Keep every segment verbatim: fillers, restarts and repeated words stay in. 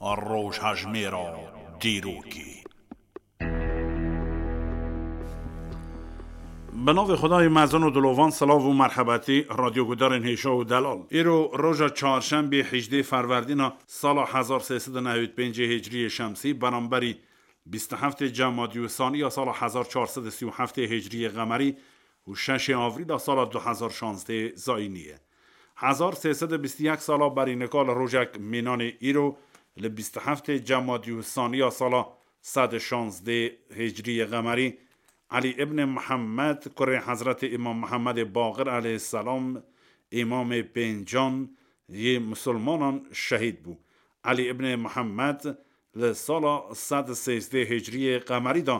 Rojhejmêra dîrokê. Bi navê Xwedayê mezin û dilovan, silav û merhebetî, radyogudarên hêşa û delal. Îro roja çarşembê, hejdê Ferwerdîna sala hezar sê sed û newêd pêncê Hicriyê Şemsî, beramberî bîst û heftê Cemadî û Sanî ya sala hezar çar sed û sî û heftê Hicriyê Qemerî û şeşê Avrîla sala du hezar şazdê Zayînî ye. Hezar sê sed û bîst û yek sala berî nika li rojek mînanê îro, li bîst û heftê Cemadî û Sanî ya sala sed û şazdê Hicriyê Qemerî, Elî ibnê Mihemed, kurê Hezretê Îmam Mihemedê Baqir eleyhîsselam, îmamê pêncan yê misilmanan şehîd bû. Elî ibnê Mihemed li sala sed û sêzdeh Hicriyê Qemerî de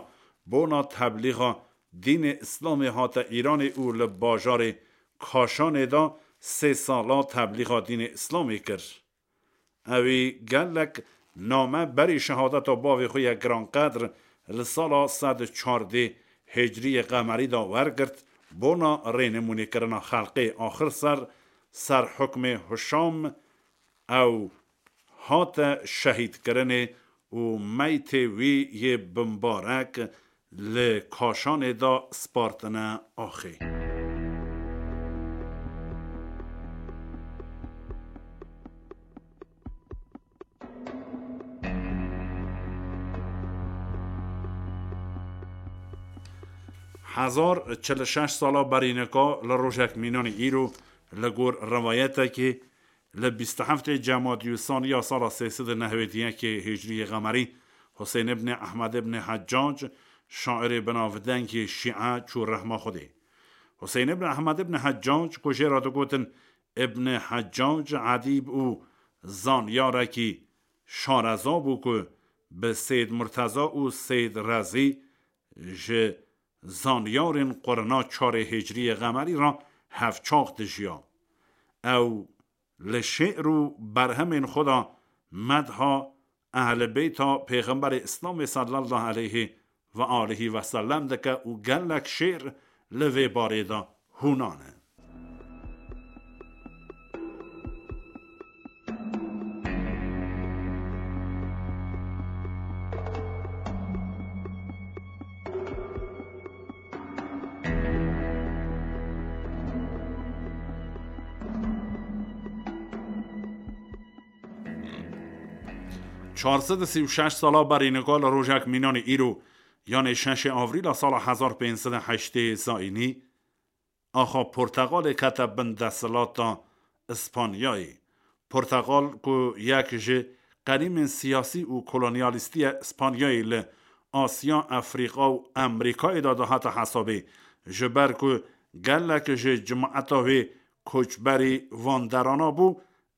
bona teblîxa dînê Îslamê hate Îranê û li bajarê Kaşanê de sê sala teblîxa dînê Îslamê kir. Ewî gelek name berî şehadeta bavê xwe yê giranqedr li sala sed û çardê Hicriyê Qemerî de wergirt, bona rênimûnêkirina xelqê axir ser, ser hukmê Hişam ew hate şehîdkirinê û meytê wî yê bimbarek li Kaşanê de spartine axê. Hezar çil û şeş sala berî nika li rojek mînanî îro, li gor riwayetekê, li bîst û heftê Cemadî û Sanî ya sala sê sed û newêd û yekê Hicriyê Qemerî, Husên ibnê Ehmed ibnê Heccac, şairê binavdengê Şîe, çû rehma Xwedê. Husên ibn Ehmed ibn Heccac, ku jê re digotin Ibn Heccac Edîb û zanyarekî şareza bû ku bi Seyd Murteza û Seyd Rezî, ji zanyarên qurna çarê Hicriyê Qemerî re hevçax dijiya. Ew li şi'r û berhemên xwe de medha Ehl-i Beyta Pêxemberê Îslamê sallallahu aleyhi ve aleyhi ve sellem dike û gelek şi'r li vê barê de hûna ne. Çar sed û sî û şeş sala berî nika li rojek mînanê îro, yanê şeşê Avrîla sala hezar pênc sed û heştê Zayînî, axa Portegalê kete bin desthilata Îspanyayê. Portegal ku yek ji qedîmên siyasî û kolonyalîstî ye Îspanyayê li Asya, Efrîka û Amerîkayê de dihate hesabê, ji ber ku gelek ji cimaeta wê koçberî vanderana bû,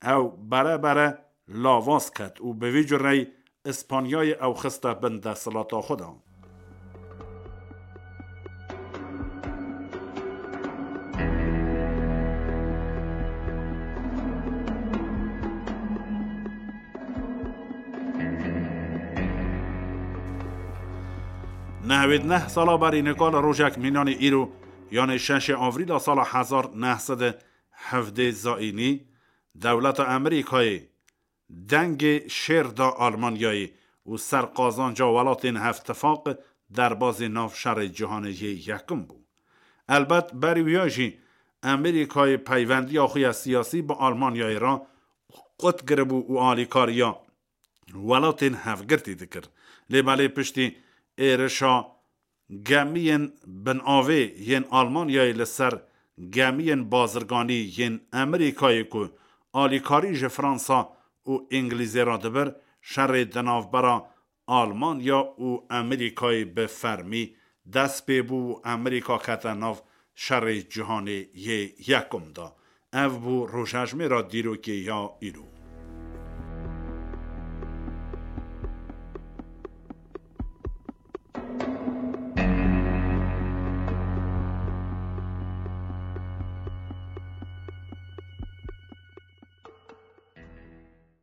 ew bere bere lavaz ket û bi vî cureyî Îspanyayê ew xiste bin desthilata xwe de. Nehwêd neh sala berî nika li rojek mînanê îro, yanê şeşê Avrîla sala hezar neh sed û hevdê Zayînî, dewleta Amerîkayê dengê şêr da Almanyayê û ser qazanca welatên Hevtifaq derbazî nav şerê cîhanê yê yekim bû. Elbet berî wiya jî Amerîkayê peyvendiya xwe ya siyasî bi Almanyayê re qut kiribû û alîkariya welatên hevgirtî dikir. Lê belê piştî êrişa gemiyên binavê yên Almanyayê li ser gemiyên bazirganî yên Amerîkayê ku alîkarî ji Fransa û Îngilîzê re dibir, şerê di navbera Almanya û Amerîkayê bi fermî dest pê bû û Amerîka kete nav şerê cîhanê yê yekum de. Ev bû rojhejmêra dîrokê ya îro.